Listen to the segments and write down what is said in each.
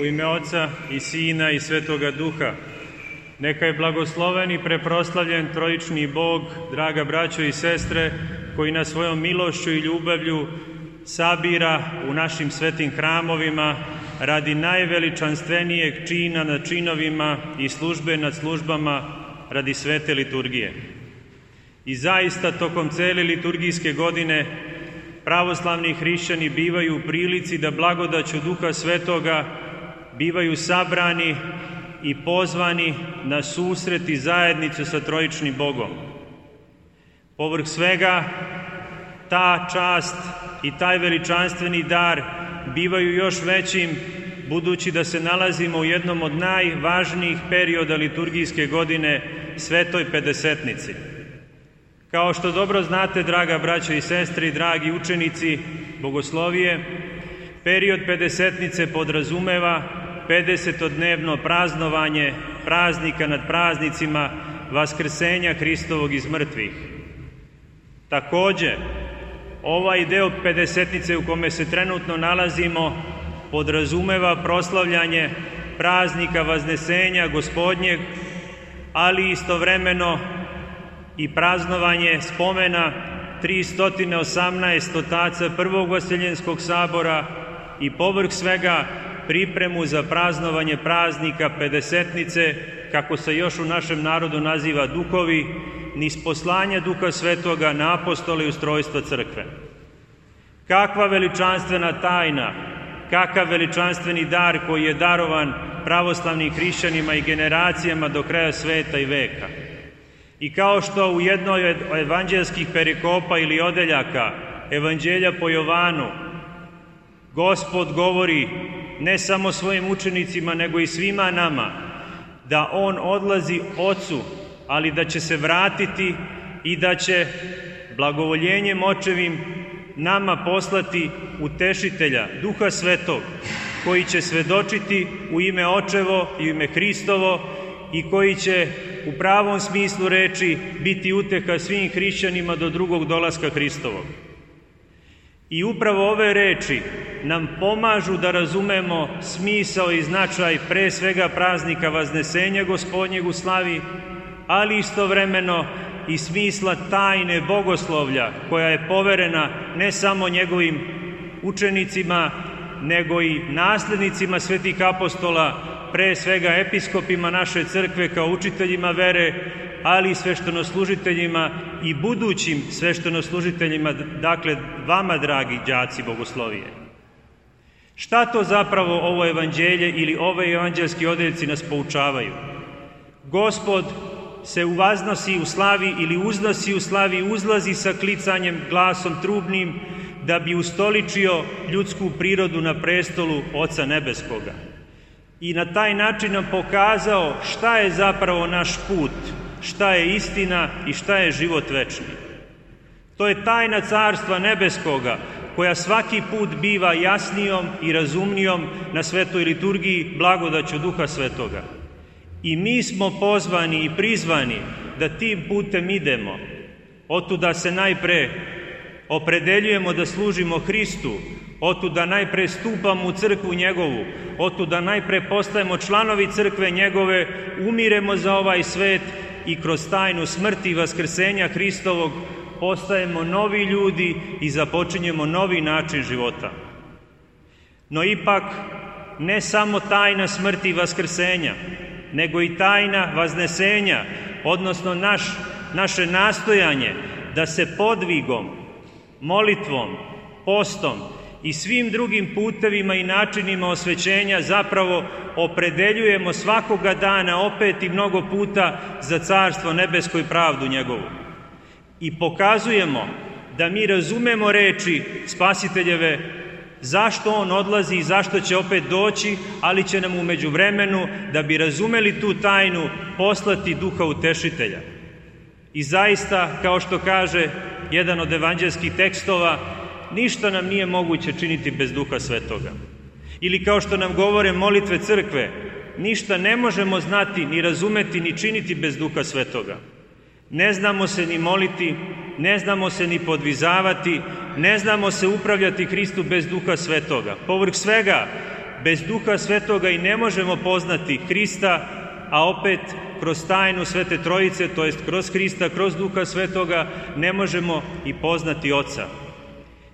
U ime Oca i Sina i Svetoga Duha, neka je blagosloven i preproslavljen trojični Bog, draga braćo i sestre, koji nas svojom milošću i ljubavlju sabira u našim svetim hramovima radi najveličanstvenijeg čina nad činovima i službe nad službama radi svete liturgije. I zaista tokom cele liturgijske godine pravoslavni hrišćani bivaju u prilici da blagodaću Duha Svetoga bivaju sabrani i pozvani na susret i zajednicu sa trojičnim Bogom. Povrh svega, ta čast i taj veličanstveni dar bivaju još većim, budući da se nalazimo u jednom od najvažnijih perioda liturgijske godine, Svetoj Pedesetnici. Kao što dobro znate, draga braćo i sestre i dragi učenici bogoslovije, period Pedesetnice podrazumeva 50-dnevno praznovanje praznika nad praznicima Vaskrsenja Hristovog iz mrtvih. Takođe, ovaj deo Pedesetnice u kome se trenutno nalazimo podrazumeva proslavljanje praznika Vaznesenja Gospodnjeg, ali istovremeno i praznovanje spomena 318 otaca Prvog Vaseljenskog sabora i povrh svega pripremu za praznovanje praznika Pedesetnice, kako se još u našem narodu naziva duhovi, niz poslanja Duha Svetoga na apostole i ustrojstva crkve. Kakva veličanstvena tajna, kakav veličanstveni dar koji je darovan pravoslavnim hrišćanima i generacijama do kraja sveta i veka. I kao što u jednoj od evanđelskih perikopa ili odeljaka Evanđelja po Jovanu Gospod govori ne samo svojim učenicima, nego i svima nama, da On odlazi Ocu, ali da će se vratiti i da će blagovoljenjem Očevim nama poslati Utešitelja, Duha Svetog, koji će svedočiti u ime Očevo i u ime Hristovo i koji će u pravom smislu reči biti uteha svim hrišćanima do drugog dolaska Hristovog. I upravo ove reči nam pomažu da razumemo smisao i značaj pre svega praznika Vaznesenja Gospodnjeg u slavi, ali istovremeno i smisla tajne bogoslovlja koja je poverena ne samo njegovim učenicima, nego i naslednicima svetih apostola, pre svega episkopima naše crkve kao učiteljima vere, ali i sveštenoslužiteljima i budućim sveštenoslužiteljima, dakle vama, dragi đaci bogoslovije. Šta to zapravo ovo evanđelje ili ove evanđelski odeljci nas poučavaju? Gospod se uvaznosi u slavi ili uznosi u slavi, uzlazi sa klicanjem glasom trubnim da bi ustoličio ljudsku prirodu na prestolu Oca Nebeskoga. I na taj način nam pokazao šta je zapravo naš put, šta je istina i šta je život večni. To je tajna Carstva Nebeskoga, koja svaki put biva jasnijom i razumnijom na svetoj liturgiji blagodaću Duha Svetoga. I mi smo pozvani i prizvani da tim putem idemo. Otuda se najpre opredeljujemo da služimo Hristu, otuda najpre stupamo u crkvu njegovu, otuda najpre postajemo članovi crkve njegove, umiremo za ovaj svet i kroz tajnu smrti i vaskrsenja Hristovog postajemo novi ljudi i započinjemo novi način života. No ipak, ne samo tajna smrti i vaskrsenja, nego i tajna vaznesenja, odnosno naše nastojanje da se podvigom, molitvom, postom i svim drugim putevima i načinima osvećenja zapravo opredeljujemo svakoga dana opet i mnogo puta za Carstvo nebesko i pravdu njegovu. I pokazujemo da mi razumemo reči Spasiteljeve zašto On odlazi i zašto će opet doći, ali će nam u međuvremenu, da bi razumeli tu tajnu, poslati Duha Utešitelja. I zaista, kao što kaže jedan od evanđelskih tekstova, ništa nam nije moguće činiti bez Duha Svetoga. Ili kao što nam govore molitve crkve, ništa ne možemo znati, ni razumeti, ni činiti bez Duha Svetoga. Ne znamo se ni moliti, ne znamo se ni podvizavati, ne znamo se upravljati Hristu bez Duha Svetoga. Povrh svega, bez Duha Svetoga i ne možemo poznati Hrista, a opet kroz tajnu Svete Trojice, to jest kroz Hrista, kroz Duha Svetoga, ne možemo i poznati Oca.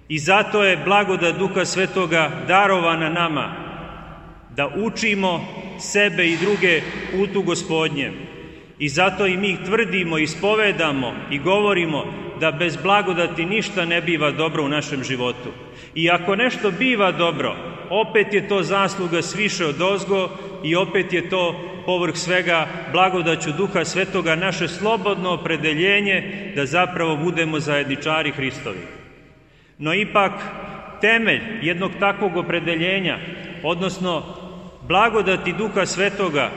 I zato je blagodat Duha Svetoga darovana nama, da učimo sebe i druge putu Gospodnjem. I zato i mi tvrdimo, ispovedamo i govorimo da bez blagodati ništa ne biva dobro u našem životu. I ako nešto biva dobro, opet je to zasluga sviše odozgo i opet je to povrh svega blagodaću Duha Svetoga naše slobodno opredeljenje da zapravo budemo zajedničari Hristovi. No ipak temelj jednog takvog opredeljenja, odnosno blagodati Duha Svetoga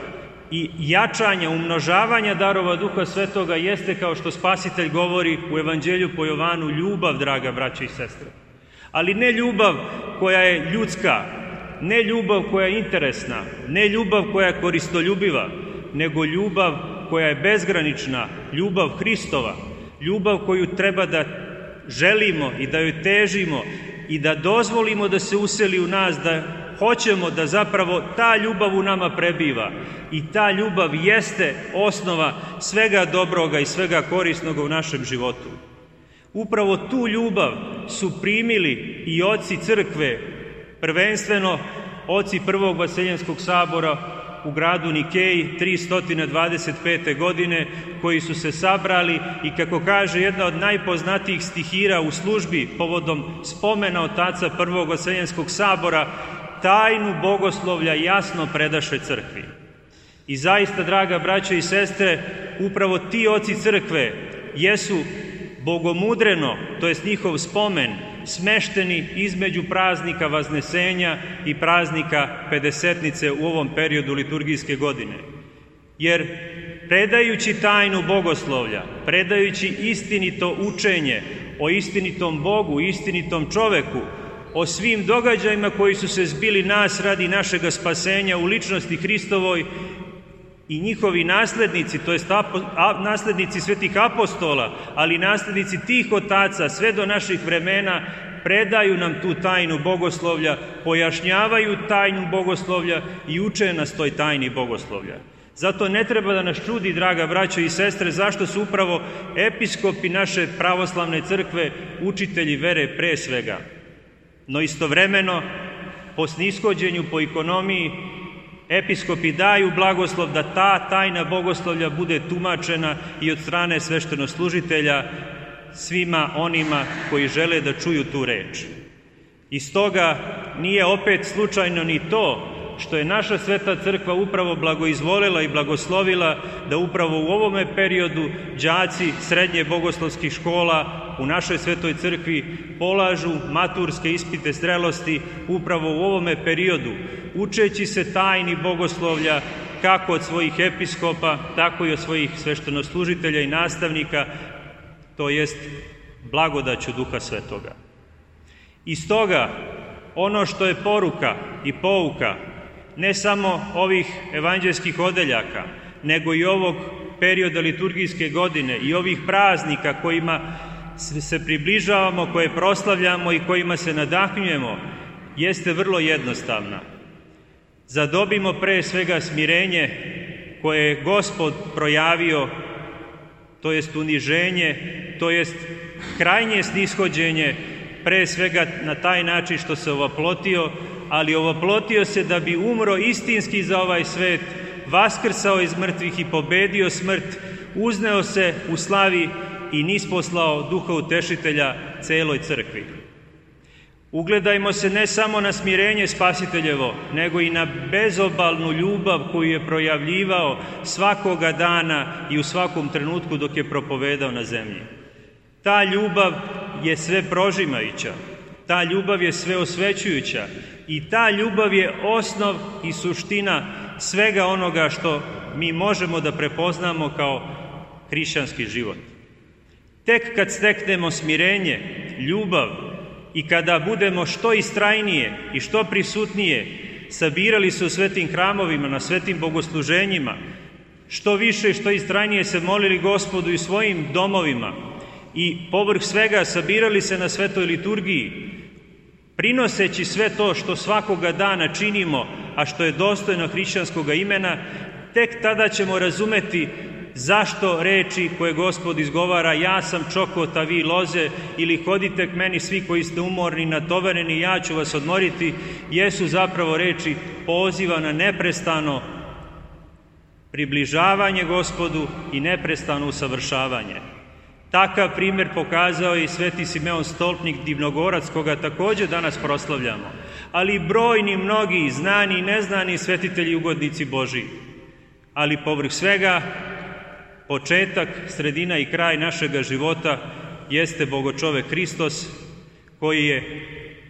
i jačanja, umnožavanja darova Duha Svetoga jeste, kao što Spasitelj govori u Evanđelju po Jovanu, ljubav, draga braće i sestre. Ali ne ljubav koja je ljudska, ne ljubav koja je interesna, ne ljubav koja je koristoljubiva, nego ljubav koja je bezgranična, ljubav Hristova, ljubav koju treba da želimo i da joj težimo i da dozvolimo da se useli u nas, da hoćemo da zapravo ta ljubav u nama prebiva. I ta ljubav jeste osnova svega dobroga i svega korisnoga u našem životu. Upravo tu ljubav su primili i oci crkve, prvenstveno oci Prvog Vaseljenskog sabora u gradu Nikeji 325. godine, koji su se sabrali i, kako kaže jedna od najpoznatijih stihira u službi povodom spomena otaca Prvog Vaseljenskog sabora, tajnu bogoslovlja jasno predaše crkvi. I zaista, draga braćo i sestre, upravo ti oci crkve jesu bogomudreno, to jest njihov spomen, smešteni između praznika Vaznesenja i praznika Pedesetnice u ovom periodu liturgijske godine. Jer predajući tajnu bogoslovlja, predajući istinito učenje o istinitom Bogu, istinitom čoveku, o svim događajima koji su se zbili nas radi našega spasenja u ličnosti Hristovoj, i njihovi naslednici, to jest naslednici svetih apostola, ali naslednici tih otaca sve do naših vremena, predaju nam tu tajnu bogoslovlja, pojašnjavaju tajnu bogoslovlja i uče nas toj tajni bogoslovlja. Zato ne treba da nas čudi, draga braćo i sestre, zašto su upravo episkopi naše pravoslavne crkve učitelji vere pre svega. No istovremeno, po snishođenju, po ekonomiji, episkopi daju blagoslov da ta tajna bogoslovlja bude tumačena i od strane sveštenoslužitelja svima onima koji žele da čuju tu reč. I stoga nije opet slučajno ni to što je naša sveta crkva upravo blagoizvolila i blagoslovila da upravo u ovome periodu đaci srednje bogoslovskih škola u našoj svetoj crkvi polažu maturske ispite zrelosti upravo u ovome periodu, učeći se tajni bogoslovlja kako od svojih episkopa, tako i od svojih sveštenoslužitelja i nastavnika, to jest blagodaću Duha Svetoga. I stoga, ono što je poruka i pouka ne samo ovih evanđelskih odeljaka, nego i ovog perioda liturgijske godine i ovih praznika kojima se približavamo, koje proslavljamo i kojima se nadahnjujemo, jeste vrlo jednostavna. Zadobimo pre svega smirenje koje je Gospod projavio, to jest uniženje, to jest krajnje snishođenje, pre svega na taj način što se ovaplotio, ali ovaplotio se da bi umro istinski za ovaj svet, vaskrsao iz mrtvih i pobedio smrt, uzneo se u slavi i nisposlao Duha Utešitelja celoj crkvi. Ugledajmo se ne samo na smirenje Spasiteljevo, nego i na bezobalnu ljubav koju je projavljivao svakoga dana i u svakom trenutku dok je propovedao na zemlji. Ta ljubav je sve prožimajuća, ta ljubav je sve osvećujuća i ta ljubav je osnov i suština svega onoga što mi možemo da prepoznamo kao hrišćanski život. Tek kad steknemo smirenje, ljubav i kada budemo što istrajnije i što prisutnije sabirali se u svetim hramovima, na svetim bogosluženjima, što više i što istrajnije se molili Gospodu i svojim domovima i povrh svega sabirali se na svetoj liturgiji, prinoseći sve to što svakoga dana činimo, a što je dostojno hrišćanskog imena, tek tada ćemo razumeti zašto reči koje Gospod izgovara ja sam čokot, a vi loze, ili hodite k meni svi koji ste umorni, natovareni, ja ću vas odmoriti, jesu zapravo reči poziva na neprestano približavanje Gospodu i neprestano usavršavanje. Takav primjer pokazao je i sveti Simeon Stolpnik Divnogorac, koga također danas proslavljamo, ali i brojni mnogi znani i neznani svetitelji i ugodnici Božiji. Ali povrh svega, početak, sredina i kraj našega života jeste Bogočovek Hristos, koji je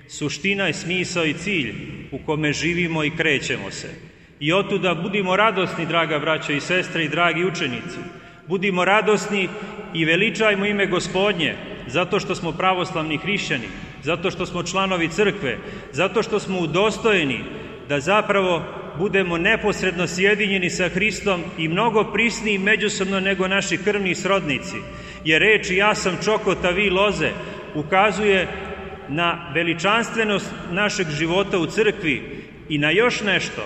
suština i smisao i cilj u kome živimo i krećemo se. I otuda budimo radosni, draga braćo i sestre i dragi učenici. Budimo radosni i veličajmo ime Gospodnje, zato što smo pravoslavni hrišćani, zato što smo članovi crkve, zato što smo udostojeni da zapravo budemo neposredno sjedinjeni sa Hristom i mnogo prisniji međusobno nego naši krvni srodnici. Jer reč ja sam čokot, a vi loze ukazuje na veličanstvenost našeg života u crkvi i na još nešto.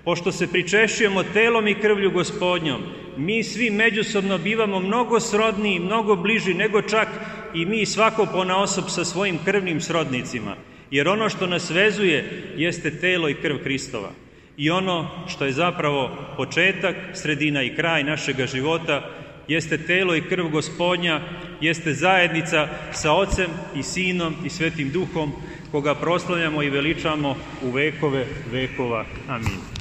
Pošto se pričešćujemo telom i krvlju Gospodnjom, mi svi međusobno bivamo mnogo srodniji, mnogo bliži nego čak i mi svako ponaosob sa svojim krvnim srodnicima. Jer ono što nas vezuje jeste telo i krv Hristova. I ono što je zapravo početak, sredina i kraj našega života jeste telo i krv Gospodnja, jeste zajednica sa Ocem i Sinom i Svetim Duhom, koga proslavljamo i veličamo u vekove vekova. Amin.